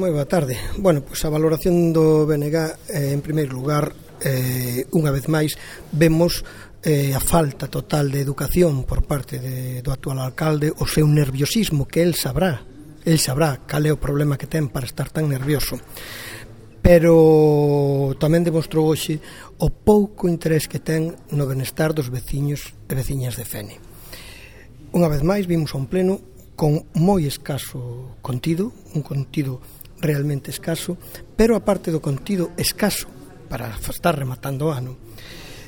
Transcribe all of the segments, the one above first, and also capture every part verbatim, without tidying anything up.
Moi boa tarde. Bueno, pois a valoración do B N G, eh, en primeiro lugar, eh, unha vez máis, vemos eh, a falta total de educación por parte de, do actual alcalde, o seu nerviosismo, que el sabrá, el sabrá cal é o problema que ten para estar tan nervioso. Pero tamén demostrou hoxe o pouco interés que ten no benestar dos veciños e veciñas de Fene. Unha vez máis, vimos a un pleno con moi escaso contido, un contido realmente escaso, pero aparte do contido escaso para estar rematando o ano,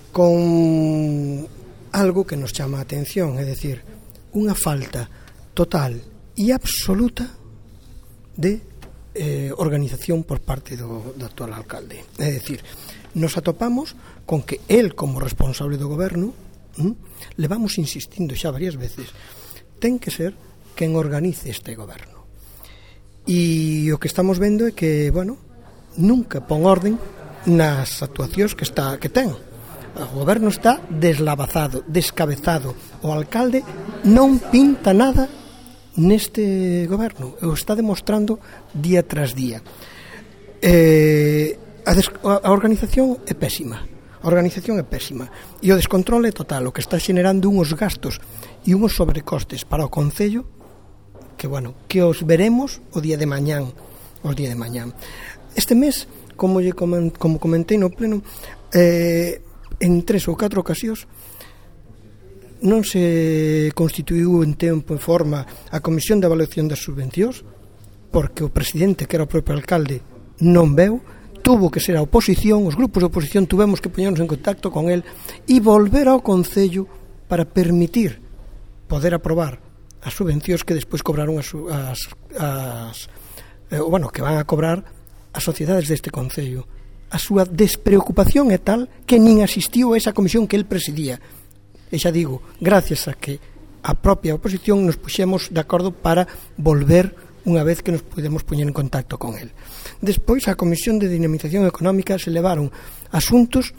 con algo que nos chama a atención, é dicir, unha falta total e absoluta de eh, organización por parte do, do actual alcalde. É dicir, nos atopamos con que el, como responsable do goberno, hm, le vamos insistindo xa varias veces, ten que ser quen organice este goberno. E o que estamos vendo é que, bueno, nunca pon orden nas actuacións que está que ten. O goberno está deslavazado, descabezado. O alcalde non pinta nada neste goberno. O está demostrando día tras día. Eh, a, des, a organización é pésima. A organización é pésima. E o descontrol é total. O que está xenerando unhos gastos e unhos sobrecostes para o concello que, bueno, que os veremos o día de mañán, os día de mañán. Este mes, como lle como comentei no pleno, eh, en tres ou catro ocasións non se constituiu en tempo e forma a Comisión de Evaluación das Subvencións, porque o presidente, que era o propio alcalde, non veu, tuvo que ser a oposición, os grupos de oposición tuvemos que poñernos en contacto con el e volver ao Concello para permitir poder aprobar as subvencións que despois cobraron as, as, as eh, bueno, que van a cobrar as sociedades deste Concello. A súa despreocupación é tal que nin asistiu a esa comisión que el presidía. E xa digo, gracias a que a propia oposición nos puxemos de acordo para volver unha vez que nos podemos poñer en contacto con el. Despois, a Comisión de Dinamización Económica se levaron asuntos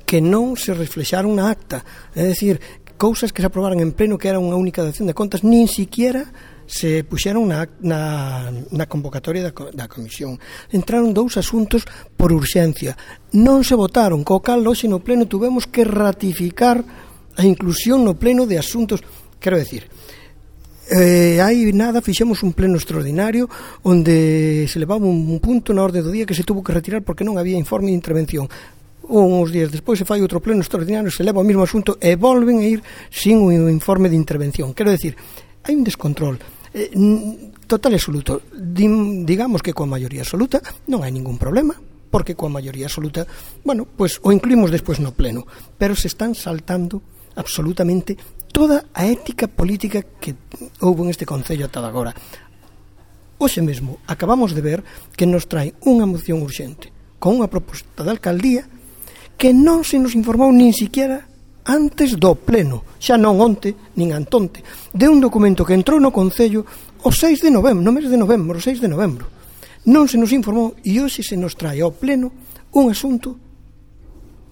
que non se reflexaron na acta, é dicir, cousas que se aprobaran en pleno, que era unha única dación de contas, nin siquiera se puxeron na, na, na convocatoria da, da comisión. Entraron dous asuntos por urxencia, non se votaron, co cal hoxe no pleno tuvemos que ratificar a inclusión no pleno de asuntos, quero decir, eh, hai nada, fixemos un pleno extraordinario onde se levaba un punto na orde do día que se tuvo que retirar porque non había informe de intervención. Uns días despois se fai outro pleno extraordinario, se leva o mesmo asunto e volven a ir sin un informe de intervención. Quero decir, hai un descontrol eh, total e absoluto. Digamos que coa maioría absoluta non hai ningún problema, porque coa maioría absoluta, bueno, pois o incluímos despois no pleno, pero se están saltando absolutamente toda a ética política que houve en este Concello ata agora. Hoxe mesmo acabamos de ver que nos trae unha moción urxente con unha proposta de alcaldía que non se nos informou nin siquiera antes do pleno, xa non onte, nin antonte, de un documento que entrou no Concello o seis de novembro, no mes de novembro, o seis de novembro. Non se nos informou e hoxe se nos trae ao pleno un asunto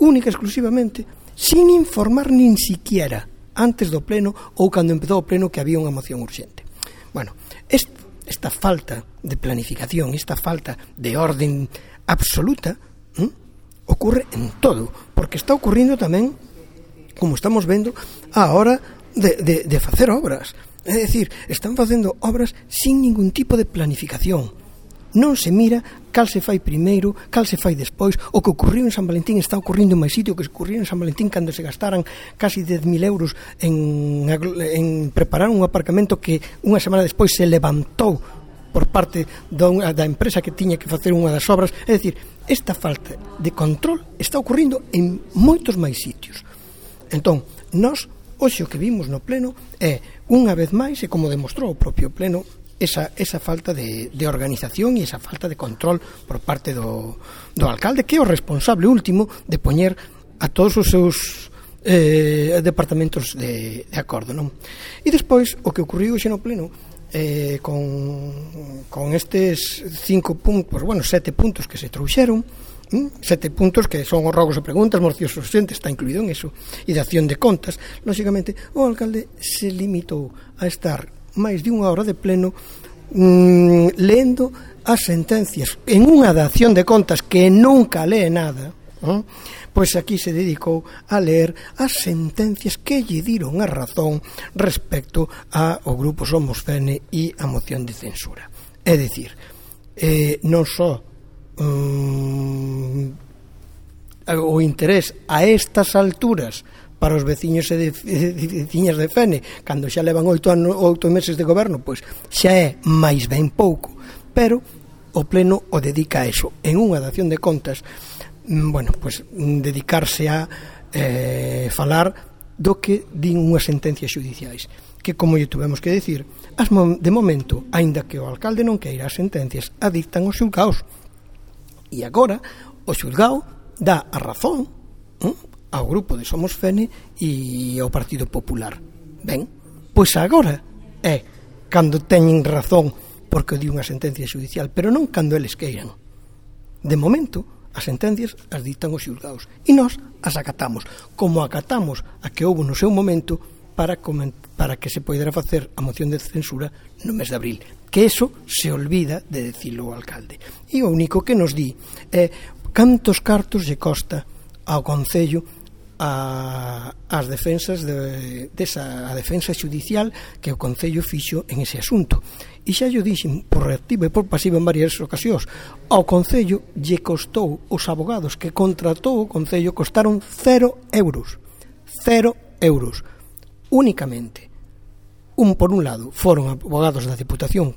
única exclusivamente, sin informar nin siquiera antes do pleno ou cando empezou o pleno que había unha moción urxente. Bueno, esta, esta falta de planificación, esta falta de orden absoluta, ¿eh? Ocurre en todo, porque está ocurrindo tamén, como estamos vendo, a hora de, de, de facer obras. É dicir, están facendo obras sin ningún tipo de planificación. Non se mira cal se fai primeiro, cal se fai despois. O que ocurriu en San Valentín está ocurrindo en máis sitio que ocurriu en San Valentín cando se gastaran casi dez mil euros en, en preparar un aparcamento que unha semana despois se levantou por parte da, da empresa que tiña que facer unha das obras. É dicir, esta falta de control está ocurrindo en moitos máis sitios. Entón, nós, hoxe o que vimos no pleno é, unha vez máis, e como demostrou o propio pleno, esa, esa falta de, de organización e esa falta de control por parte do, do alcalde, que é o responsable último de poñer a todos os seus eh, departamentos de, de acordo, non? E despois, o que ocurriu hoxe no pleno, Eh, con, con estes cinco puntos, bueno, sete puntos que se trouxeron, hm? sete puntos que son os rogos e preguntas, mocións urxentes, está incluído en eso, e de acción de contas. Lóxicamente, o alcalde se limitou a estar máis de unha hora de pleno mm, lendo as sentencias en unha dación de contas que nunca lee nada, ¿eh? Pois aquí se dedicou a ler as sentencias que lle diron a razón respecto ao grupo Somos Fene e a moción de censura. É dicir, eh, non só um, o interés a estas alturas para os veciños e de, de, veciñas de Fene, cando xa levan oito, anos, oito meses de goberno, pois xa é máis ben pouco, pero o Pleno o dedica a eso, en unha dación de contas, bueno, pois dedicarse a eh, falar do que din unhas sentencias xudiciais, que, como lle tuvemos que decir, as de momento, aínda que o alcalde non queira as sentencias, a dictan os xulgaos, e agora o xulgao dá a razón eh, ao grupo de Somos Fene e ao Partido Popular. Ben, pois agora é cando teñen razón porque di unha sentencia xudicial, pero non cando eles queiran. De momento, as sentencias as dictan os xulgaos e nós as acatamos, como acatamos a que houve no seu momento para, para que se poidera facer a moción de censura no mes de abril, que eso se olvida de decirlo o alcalde. E o único que nos di é cantos cartos lle costa ao Concello a, as defensas de, desa, a defensa xudicial que o Concello fixo en ese asunto. E xa yo dixen por reactiva e por pasiva en varias ocasións, ao Concello lle costou, os abogados que contratou o Concello costaron cero euros, cero euros únicamente. Un por un lado foron abogados da Diputación,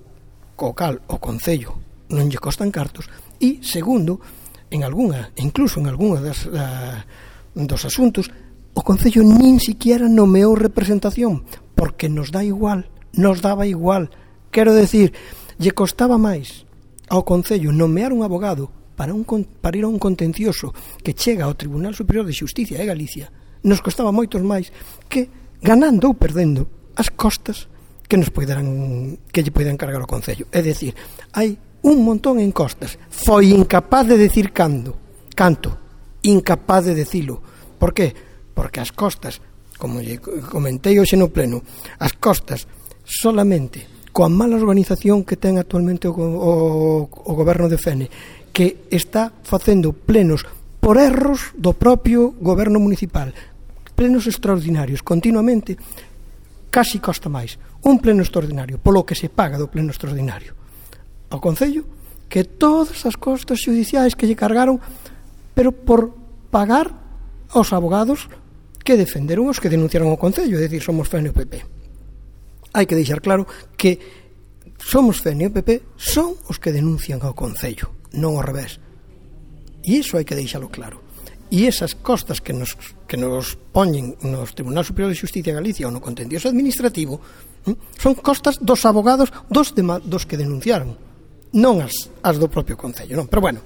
co cal o Concello non lle costan cartos, e segundo, en algunha, incluso en algunha das, da, dos asuntos, o Concello nin siquiera nomeou representación, porque nos dá igual, nos daba igual. Quero decir, lle costaba máis ao Concello nomear un abogado para, un, para ir a un contencioso que chega ao Tribunal Superior de Xusticia de Galicia, nos costaba moitos máis que ganando ou perdendo as costas que nos poideran, que lle poidan cargar ao Concello. É dicir, hai un montón en costas. Foi incapaz de decir cando, canto, incapaz de decilo. Por qué? Porque as costas, como lle comentei hoxe no Pleno, as costas solamente coa mala organización que ten actualmente o, o, o goberno de Fene, que está facendo plenos por erros do propio goberno municipal, plenos extraordinarios continuamente, casi costa máis un pleno extraordinario polo que se paga do pleno extraordinario ao Concello que todas as costas xudiciais que lle cargaron, pero por pagar aos abogados que defenderon os que denunciaron o Concello, é dicir, Somos Fene e o P P. Hai que deixar claro que Somos Fene e o P P son os que denuncian ao Concello, non ao revés. E iso hai que deixalo claro. E esas costas que nos, que nos poñen nos Tribunal Superior de Xusticia de Galicia ou no contencioso administrativo son costas dos abogados dos, de, dos que denunciaron, non as, as do propio Concello, non? Pero bueno,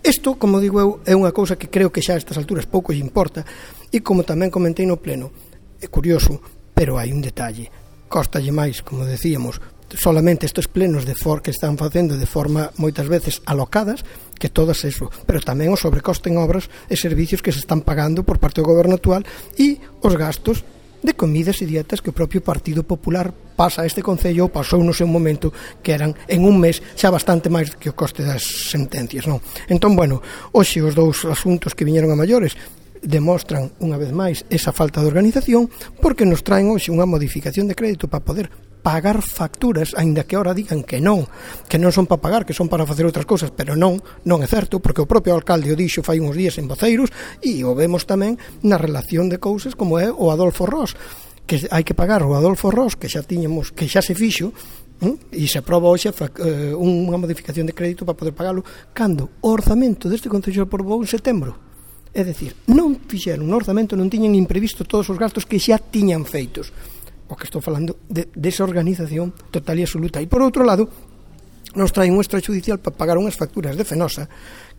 isto, como digo eu, é unha cousa que creo que xa a estas alturas pouco lle importa, e como tamén comentei no Pleno, é curioso, pero hai un detalle. Costalle máis, como decíamos, solamente estes plenos de for que están facendo de forma moitas veces alocadas que todas eso, pero tamén o sobrecoste en obras e servicios que se están pagando por parte do goberno actual e os gastos de comidas e dietas que o propio Partido Popular pasa a este Concello ou pasou no seu momento, que eran en un mes xa bastante máis que o coste das sentencias, non? Entón, bueno, hoxe os dous asuntos que viñeron a maiores demostran unha vez máis esa falta de organización, porque nos traen hoxe unha modificación de crédito para poder pagar facturas, aínda que ahora digan que non, que non son para pagar, que son para facer outras cousas, pero non, non é certo, porque o propio alcalde o dixo fai uns días en Voceiros, e o vemos tamén na relación de cousas como é o Adolfo Ros, que hai que pagar o Adolfo Ros, que xa tiñamos, que xa se fixo, e se aproba hoxe unha modificación de crédito para poder pagalo, cando o orzamento deste Concello se aprobou en setembro. É dicir, non fixeron no orzamento, non tiñan imprevisto todos os gastos que xa tiñan feitos. O que estou falando de, desa organización total e absoluta. E por outro lado, nos traen un extrajudicial para pagar unhas facturas de Fenosa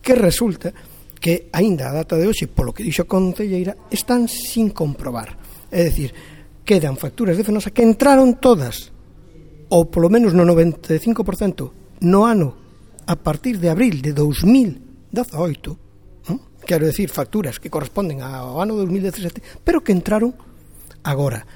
que resulta que aínda a data de hoxe, polo que dixo a concelleira, están sin comprobar. É dicir, quedan facturas de Fenosa que entraron todas, ou polo menos no noventa e cinco por cento, no ano a partir de abril de dous mil dezaoito, quero decir, facturas que corresponden ao ano dous mil dezasete, pero que entraron agora.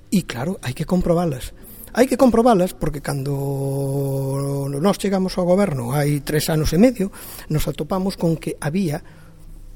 E claro, hai que comprobalas. Hai que comprobalas porque cando nós chegamos ao goberno hai tres anos e medio nos atopamos con que había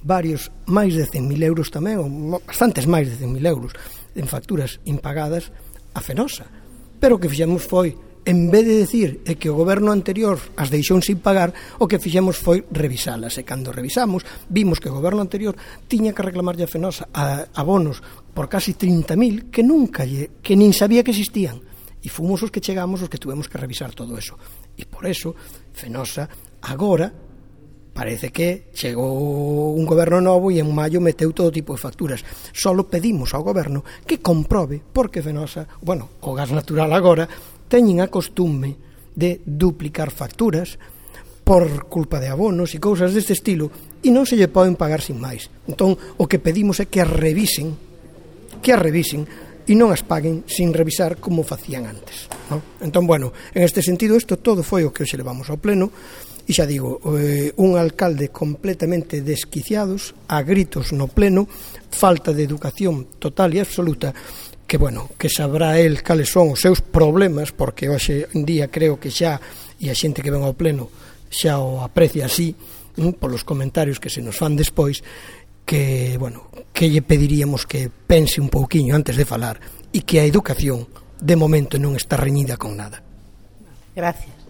varios, máis de cen mil euros tamén, ou bastantes máis de cen mil euros en facturas impagadas a Fenosa. Pero o que fixemos foi, en vez de decir é que o goberno anterior as deixou sin pagar, o que fixemos foi revisalas. E cando revisamos, vimos que o goberno anterior tiña que reclamarlle a Fenosa a abonos por casi trinta mil que nunca lle, que nin sabía que existían. E fomos os que chegamos os que tuvemos que revisar todo eso. E por eso, Fenosa agora parece que chegou un goberno novo e en maio meteu todo tipo de facturas. Solo pedimos ao goberno que comprobe porque Fenosa, bueno, o gas natural agora teñen a costume de duplicar facturas por culpa de abonos e cousas deste estilo e non se lle poden pagar sin máis. Entón, o que pedimos é que as revisen, que as revisen e non as paguen sin revisar como facían antes, ¿no? Entón, bueno, en este sentido, isto todo foi o que hoxe levamos ao pleno e xa digo, eh, un alcalde completamente desquiciados, a gritos no pleno, falta de educación total e absoluta, que, bueno, que sabrá el cales son os seus problemas, porque hoxe en día creo que xa, e a xente que ven ao pleno xa o aprecia así, ¿no?, polos comentarios que se nos fan despois, que, bueno, que lle pediríamos que pense un pouquiño antes de falar e que a educación, de momento, non está reñida con nada. Gracias.